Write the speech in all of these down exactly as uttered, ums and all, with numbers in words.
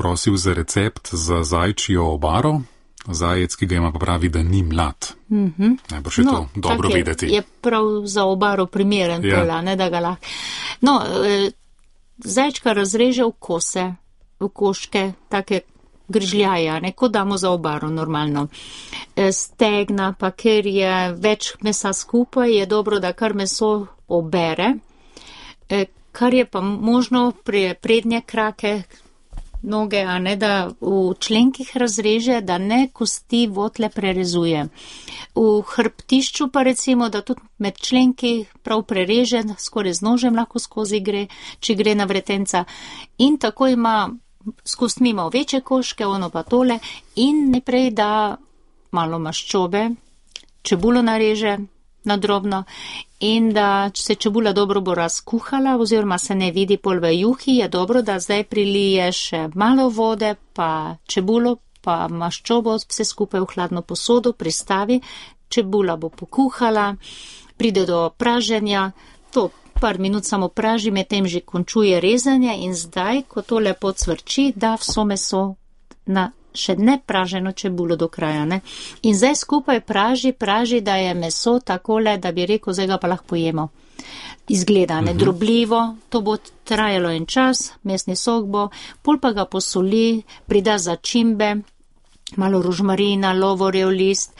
prosil za recept za zajčjo obaro. Zajec, ki ga ima, pa pravi, da ni mlad. Mm-hmm. Najbrž je no, to dobro je, vedeti. Je prav za obaro primeren, ja. Tola, ne, da ga lahko. No, e, zajčka razreže v kose, v koške, take grižljaja, ne, kot damo za obaro normalno. E, stegna, pa ker je več mesa skupaj, je dobro, da kar meso obere, e, kar je pa možno pri prednje krake, noge, a ne, da v členkih razreže, da ne kosti votle prerezuje. V hrbtišču pa recimo, da tudi med členki prav prereže, skoraj z nožem lahko skozi gre, če gre na vretenca. In tako ima s kostmi ima večje koške, ono pa tole, in najprej da malo maščobe, čebulo nareže na drobno, in da se čebula dobro bo razkuhala, oziroma se ne vidi pol v juhi, je dobro, da zdaj prilije še malo vode, pa čebulo, pa maščobo, vse skupaj v hladno posodo pristavi, čebula bo pokuhala, pride do praženja, to par minut samo praži, medtem že končuje rezanje in zdaj, ko to lepo cvrči, da vso meso na še ne praženo čebulo do kraja, ne. In zdaj skupaj praži, praži, da je meso takole, da bi rekel, zdaj ga pa lahko pojemo. Izgleda, ne, drobljivo, to bo trajalo en čas, mesni sok bo, pol pa ga posoli, prida začimbe, malo rožmarina, lovorjev list,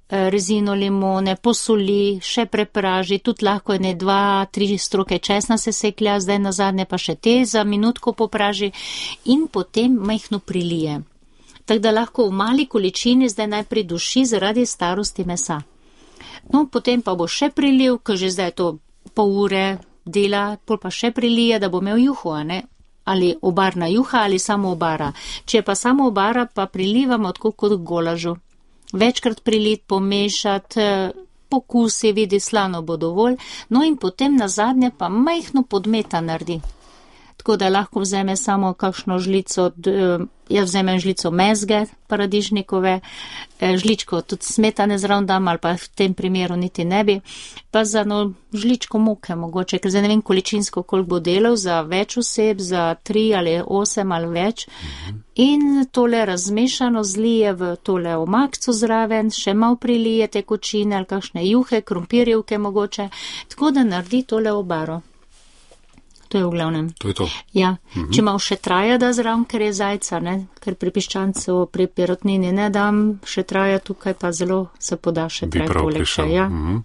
rezino limone, posoli, še prepraži, tudi lahko je ne dva, tri stroke česna se seklja, zdaj nazadnje pa še te za minutko popraži in potem majhno prilije. Tako da lahko v mali količini zdaj najprej duši zaradi starosti mesa. No, potem pa bo še priliv, ker že zdaj to pol ure dela, pol pa še prilije, da bo imel juho, a ne? Ali obarna juha ali samo obara. Če pa samo obara, pa prilivamo tako kot golažu. Večkrat prilit, pomešati, pokusi, vidi, slano bo dovolj, no in potem nazadnje pa majhno podmeta naredi. Tako da lahko vzeme samo kakšno žlico, jaz vzemem žlico mezge paradižnikove, žličko tudi smetane zraven dam, ali pa v tem primeru niti ne bi, pa za no žličko moke mogoče, ker zdaj ne vem količinsko, koliko bo delal za več oseb, za tri ali osem ali več. In tole razmešano zlije v tole omakco zraven, še malo prilije tekočine ali kakšne juhe, krompirjevke mogoče, tako da naredi tole obaro. To je v glavnem. To je to. Ja, mhm. Če malo še traja da zraven, ker je zajca, ne, ker pri piščancu, pri perutnini ne dam, še traja tukaj pa zelo se poda še traj poleg še, ja. Mhm.